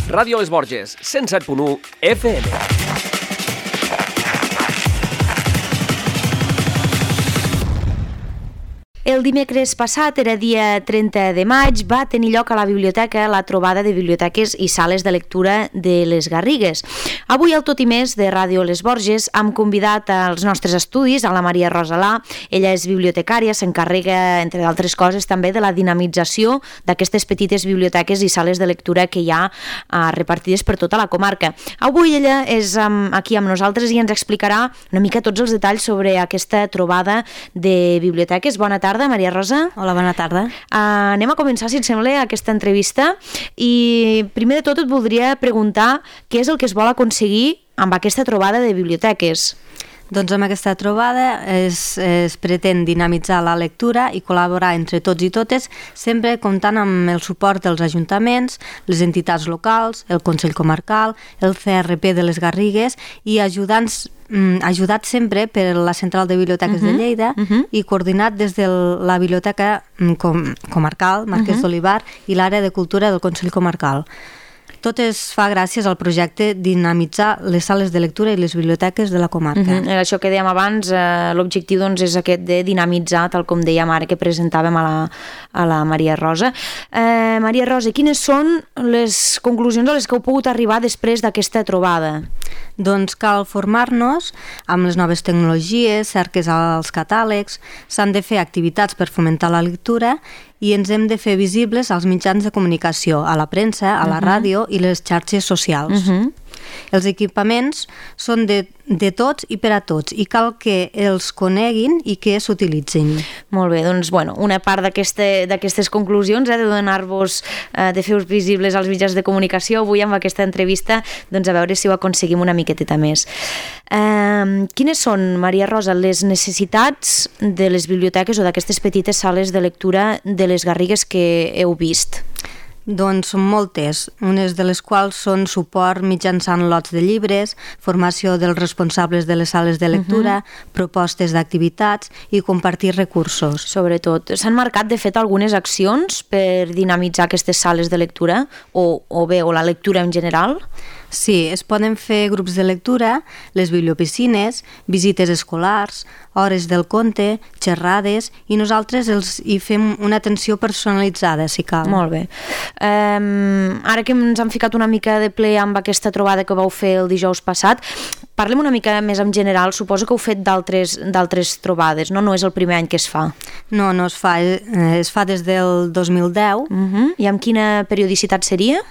Ràdio Les Borges, 107.1 FM. El dimecres passat, era dia 30 de maig, va tenir lloc a la biblioteca la trobada de biblioteques i sales de lectura de les Garrigues. Avui, al Tot i Més de Ràdio Les Borges, hem convidat als nostres estudis a la Maria Rosalà. Ella és bibliotecària, s'encarrega, entre d'altres coses, també de la dinamització d'aquestes petites biblioteques i sales de lectura que hi ha repartides per tota la comarca. Avui ella és aquí amb nosaltres i ens explicarà una mica tots els detalls sobre aquesta trobada de biblioteques. Bona tarda, Maria Rosa. Hola, bona tarda. Anem a començar, si et sembla, aquesta entrevista i primer de tot et voldria preguntar què és el que es vol aconseguir amb aquesta trobada de biblioteques. Doncs amb aquesta trobada es pretén dinamitzar la lectura i col·laborar entre tots i totes, sempre comptant amb el suport dels ajuntaments, les entitats locals, el Consell Comarcal, el CRP de les Garrigues i ajudat sempre per la Central de Biblioteques de Lleida i coordinat des de la Biblioteca Comarcal, Marquès d'Olivar, i l'àrea de cultura del Consell Comarcal. Tot es fa gràcies al projecte Dinamitzar les sales de lectura i les biblioteques de la comarca. Això que dèiem abans, l'objectiu doncs, és aquest de dinamitzar, tal com dèiem ara que presentàvem a la Maria Rosa. Maria Rosa, quines són les conclusions a les que heu pogut arribar després d'aquesta trobada? Doncs cal formar-nos amb les noves tecnologies, cerques als catàlegs, s'han de fer activitats per fomentar la lectura i ens hem de fer visibles als mitjans de comunicació, a la premsa, a la ràdio i les xarxes socials. Els equipaments són de tots i per a tots i cal que els coneguin i que s'utilitzin. Molt bé, doncs una part d'aquestes conclusions de donar-vos, de fer-vos visibles als mitjans de comunicació avui amb aquesta entrevista, doncs a veure si ho aconseguim una miqueteta més. Quines són, Maria Rosa, les necessitats de les biblioteques o d'aquestes petites sales de lectura de les Garrigues que heu vist? Doncs són moltes, unes de les quals són suport mitjançant lots de llibres, formació dels responsables de les sales de lectura, propostes d'activitats i compartir recursos. Sobretot. S'han marcat, de fet, algunes accions per dinamitzar aquestes sales de lectura o la lectura en general? Sí, es poden fer grups de lectura, les bibliopiscines, visites escolars, hores del conte, xerrades, i nosaltres hi fem una atenció personalitzada, si cal. Molt bé. Ara que ens hem ficat una mica de ple amb aquesta trobada que vau fer el dijous passat, parlem una mica més en general. Suposo que heu fet d'altres trobades, no? No és el primer any que es fa. No es fa. Es fa des del 2010. I amb quina periodicitat seria?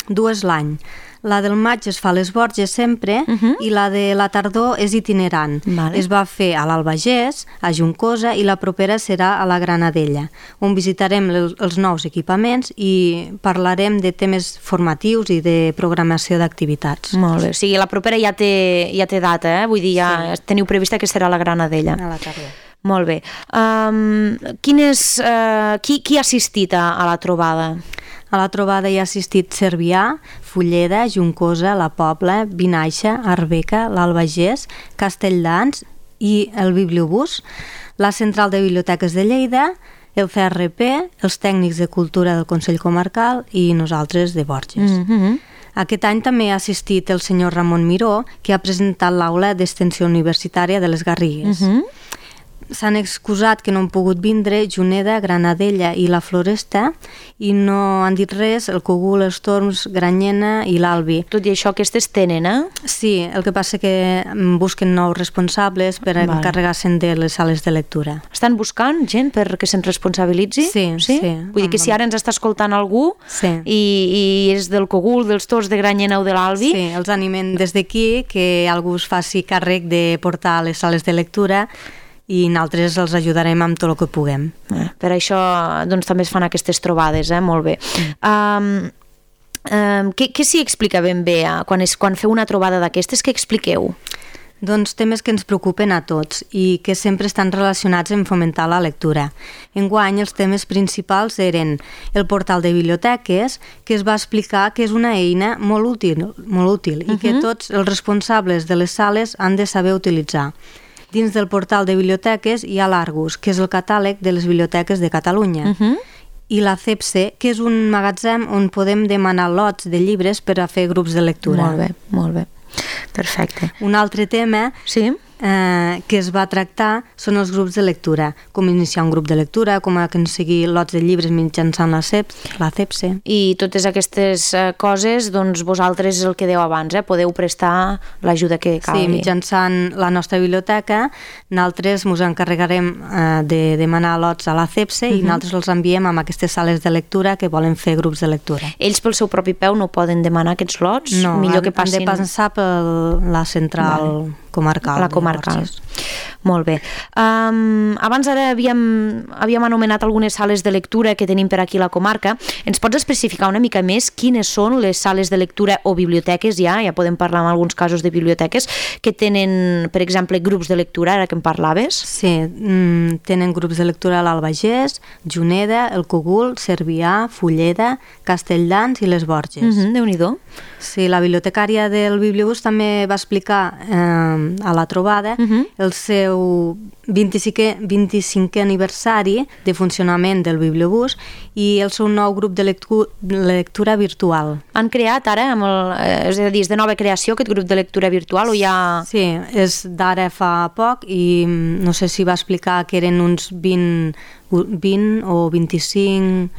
2 l'any. La del maig es fa a les Borges sempre i la de la tardor és itinerant. Vale. Es va fer a l'Albagés, a Juncosa i la propera serà a la Granadella, on visitarem els nous equipaments i parlarem de temes formatius i de programació d'activitats. Molt bé, o sigui, la propera ja té data, Vull dir, ja teniu prevista que serà a la Granadella. A la tardor. Molt bé. Qui ha assistit a la trobada? A la trobada hi ha assistit Cervià, Fulleda, Juncosa, la Pobla, Vinaixa, Arbeca, l'Albagés, Castelldans i el Bibliobús, la Central de Biblioteques de Lleida, el CRP, els tècnics de cultura del Consell Comarcal i nosaltres de Borges. Aquest any també ha assistit el senyor Ramon Miró, que ha presentat l'aula d'extensió universitària de les Garrigues. S'han excusat que no han pogut vindre Juneda, Granadella i la Floresta i no han dit res el Cogul, els Torms, Granyena i l'Albi. Tot i això, aquestes tenen, Sí, el que passa que busquen nous responsables per encarregar-se'n de les sales de lectura. Estan buscant gent perquè se'n responsabilitzi? Sí. Vull dir que si ara ens està escoltant algú i és del Cogul, dels Torms, de Granyena o de l'Albi... Sí, els animem des d'aquí que algú es faci càrrec de portar a les sales de lectura i nosaltres els ajudarem amb tot el que puguem. Per això doncs, també es fan aquestes trobades, molt bé. Què s'hi explica ben bé quan feu una trobada d'aquestes? Què expliqueu? Doncs temes que ens preocupen a tots i que sempre estan relacionats amb fomentar la lectura. Enguany els temes principals eren el portal de biblioteques, que es va explicar que és una eina molt útil i que tots els responsables de les sales han de saber utilitzar. Dins del portal de biblioteques hi ha l'Argus, que és el catàleg de les biblioteques de Catalunya. i la CEPSE, que és un magatzem on podem demanar lots de llibres per a fer grups de lectura. Molt bé. Perfecte. Un altre tema que es va tractar són els grups de lectura, com iniciar un grup de lectura, com aconseguir lots de llibres mitjançant la CEPSE. I totes aquestes coses, doncs vosaltres el que dèieu abans, podeu prestar l'ajuda que calgui. Sí, mitjançant la nostra biblioteca, nosaltres ens encarregarem de demanar lots a la CEPSE i nosaltres els enviem a aquestes sales de lectura que volen fer grups de lectura. Ells pel seu propi peu no poden demanar aquests lots? No, millor que passin... han de passar per la central comarcal. La comarcal. Molt bé. Abans ara havíem anomenat algunes sales de lectura que tenim per aquí a la comarca. Ens pots especificar una mica més quines són les sales de lectura o biblioteques, ja podem parlar en alguns casos de biblioteques, que tenen, per exemple, grups de lectura, ara que en parlaves? Sí, tenen grups de lectura a l'Albagés, Juneda, el Cogul, Cervià, Fulleda, Castelldans i les Borges. Déu-n'hi-do. Sí, la bibliotecària del Bibliobús també va explicar a la trobada el seu 25è aniversari de funcionament del Bibliobús i el seu nou grup de lectura virtual. Han creat ara, és a dir, és de nova creació aquest grup de lectura virtual o ja... Sí, és d'ara fa poc i no sé si va explicar que eren uns 20 o 25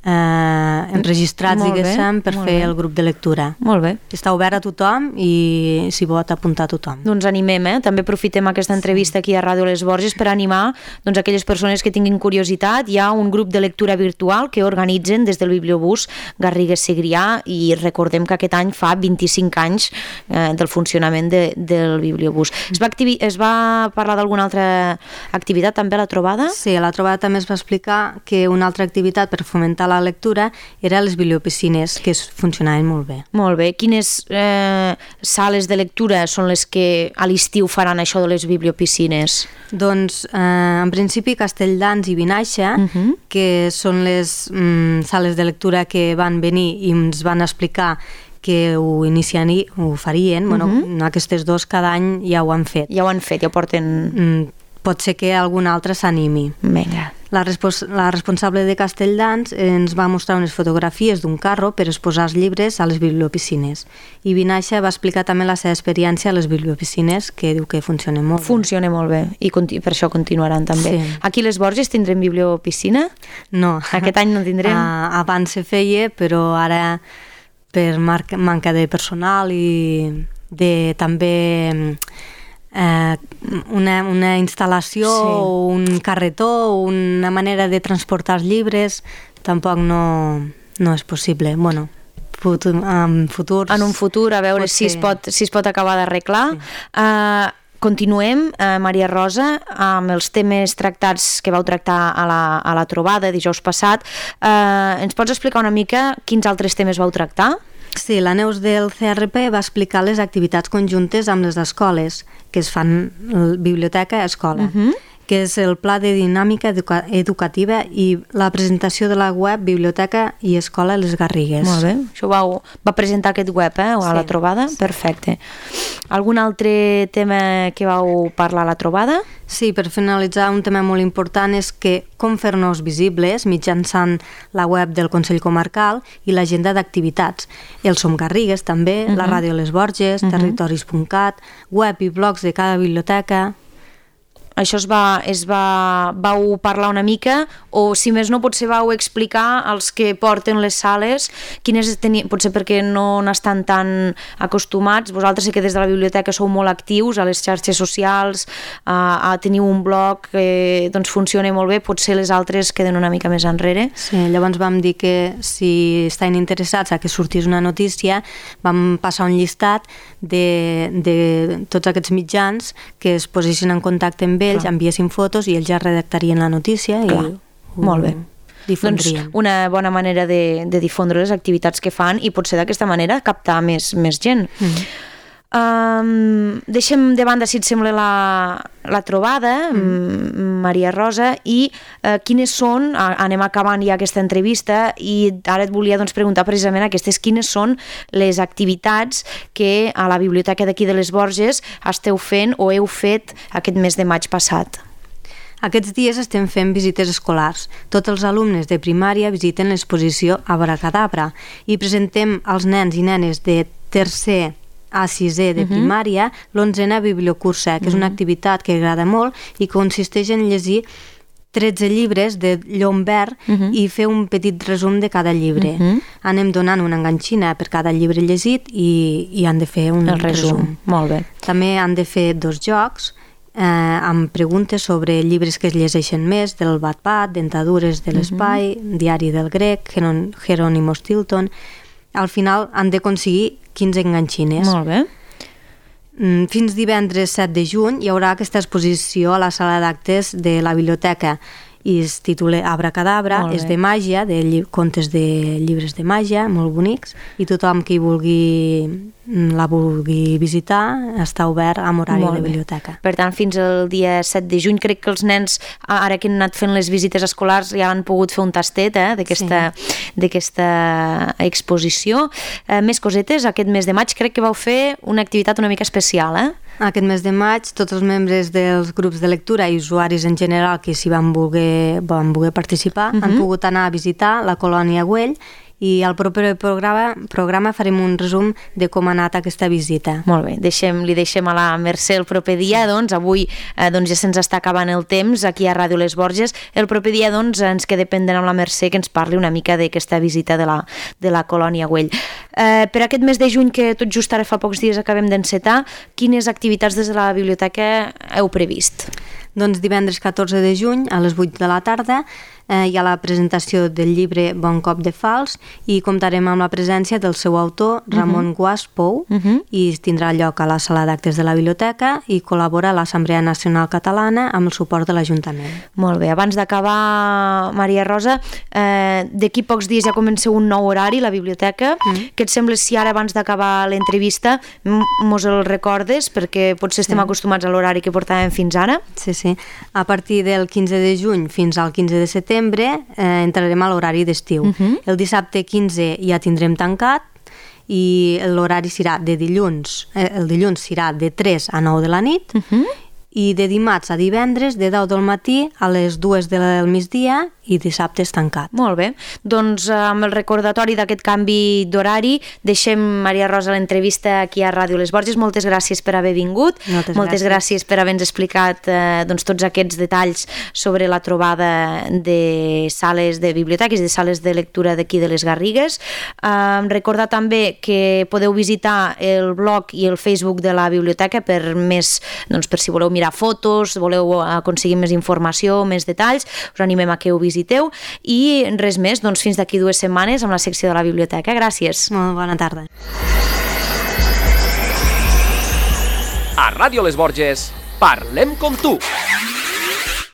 enregistrats, diguéssim, per fer el grup de lectura. Molt bé. Està obert a tothom i s'hi pot apuntar a tothom. Doncs animem, també aprofitem aquesta entrevista aquí a Ràdio Les Borges per animar aquelles persones que tinguin curiositat. Hi ha un grup de lectura virtual que organitzen des del Bibliobús Garrigues-Segrià i recordem que aquest any fa 25 anys del funcionament del Bibliobús. Es va parlar d'alguna altra activitat també a la trobada? Sí, a la trobada també es va explicar que una altra activitat per fomentar la lectura era les bibliopiscines, que funcionaven molt bé. Molt bé. Quines sales de lectura són les que a l'estiu faran això de les bibliopiscines? Doncs, en principi, Castelldans i Vinaixa, que són les sales de lectura que van venir i ens van explicar que ho farien. Bueno, aquestes dos cada any ja ho han fet. Ja ho han fet, ja porten... Pot ser que algun altre s'animi. Vinga. La responsable de Castelldans ens va mostrar unes fotografies d'un carro per exposar els llibres a les bibliopiscines. I Vinaixa va explicar també la seva experiència a les bibliopiscines, que diu que funciona molt bé. Funciona molt bé, i per això continuaran també. Sí. Aquí a les Borges tindrem bibliopiscina? No. Aquest any no tindrem? Abans se feia, però ara per manca de personal i de també... una instal·lació o un carretó o una manera de transportar els llibres tampoc no és possible. Bueno, en un futur a veure si es pot acabar d'arreglar. Continuem, Maria Rosa, amb els temes tractats que vau tractar a la trobada dijous passat. Ens pots explicar una mica quins altres temes vau tractar? Sí, la Neus del CRP va explicar les activitats conjuntes amb les escoles que es fan biblioteca-escola, que és el pla de dinàmica educativa i la presentació de la web Biblioteca i Escola Les Garrigues. Molt bé, això va presentar aquest web a la trobada? Sí. Perfecte. Algun altre tema que vau parlar a la trobada? Sí, per finalitzar, un tema molt important és que com fer-nos visibles mitjançant la web del Consell Comarcal i l'agenda d'activitats. El Som Garrigues també, la Ràdio Les Borges, territoris.cat, web i blogs de cada biblioteca. Això vau parlar una mica o si més no potser vau explicar als que porten les sales potser perquè no n'estan tan acostumats. Vosaltres sé que des de la biblioteca sou molt actius a les xarxes socials, teniu un blog que funciona molt bé, potser les altres queden una mica més enrere. Sí, llavors vam dir que si estan interessats a que sortís una notícia vam passar un llistat de tots aquests mitjans que es posessin en contacte amb ells, enviessin fotos i ells ja redactarien la notícia i molt bé. Difondrien. Doncs una bona manera de difondre les activitats que fan i potser d'aquesta manera captar més gent. Deixem de banda, si et sembla, la trobada, Maria Rosa, i quines són, anem acabant ja aquesta entrevista i ara et volia preguntar precisament quines són les activitats que a la biblioteca d'aquí de les Borges esteu fent o heu fet aquest mes de maig passat. Aquests dies estem fent visites escolars. Tots els alumnes de primària visiten l'exposició Abracadabra i presentem als nens i nenes de tercer a sisè de primària l'11a Bibliocursa, que és una activitat que agrada molt i consisteix en llegir 13 llibres de llom verd i fer un petit resum de cada llibre. Anem donant una enganxina per cada llibre llegit i han de fer un resum. Molt bé. També han de fer 2 jocs amb preguntes sobre llibres que es llegeixen més, del Wattpad, Dentadures de l'espai, Diari del grec, Jerónimo Stilton. Al final han d'aconseguir 15 enganxines. Molt bé. Fins divendres 7 de juny hi haurà aquesta exposició a la sala d'actes de la biblioteca i es titula Abracadabra, és de màgia, de contes de llibres de màgia, molt bonics, i tothom que la vulgui visitar està obert amb horari de biblioteca. Per tant, fins al dia 7 de juny, crec que els nens, ara que han anat fent les visites escolars, ja han pogut fer un tastet d'aquesta exposició. Més cosetes, aquest mes de maig crec que vau fer una activitat una mica especial, Aquest mes de maig, tots els membres dels grups de lectura i usuaris en general que s'hi van voler participar han pogut anar a visitar la colònia Güell i al proper programa farem un resum de com ha anat aquesta visita. Molt bé, li deixem a la Mercè el proper dia, doncs avui ja se'ns està acabant el temps aquí a Ràdio Les Borges. El proper dia ens queda pendent amb la Mercè que ens parli una mica d'aquesta visita de la colònia Güell. Per aquest mes de juny, que tot just ara fa pocs dies acabem d'encetar, quines activitats des de la biblioteca heu previst? Doncs divendres 14 de juny a les 8 de la tarda hi ha la presentació del llibre Bon cop de fals i comptarem amb la presència del seu autor, Ramon Guas Pou, i tindrà lloc a la sala d'actes de la biblioteca i col·labora a l'Assemblea Nacional Catalana amb el suport de l'Ajuntament. Molt bé, abans d'acabar, Maria Rosa, d'aquí pocs dies ja comenceu un nou horari a la biblioteca. Què et sembla si ara, abans d'acabar l'entrevista, mos el recordes, perquè potser estem acostumats a l'horari que portàvem fins ara? Sí. A partir del 15 de juny fins al 15 de setembre entrarem a l'horari d'estiu. El dissabte 15 ja tindrem tancat i l'horari serà de dilluns. El dilluns serà de 3 a 9 de la nit i de dimarts a divendres de 10 del matí a les 2 del migdia i dissabte és tancat. Molt bé, doncs amb el recordatori d'aquest canvi d'horari deixem, Maria Rosa, l'entrevista aquí a Ràdio Les Borges. Moltes gràcies per haver vingut, moltes gràcies per haver-nos explicat tots aquests detalls sobre la trobada de sales de biblioteques i de sales de lectura d'aquí de les Garrigues. Recordar també que podeu visitar el blog i el Facebook de la biblioteca per si voleu mirar fotos, voleu aconseguir més informació, més detalls, us animem a que ho visiteu i res més, doncs fins d'aquí 2 setmanes amb la secció de la biblioteca. Gràcies. Molt bona tarda. A Ràdio Les Borges, parlem com tu.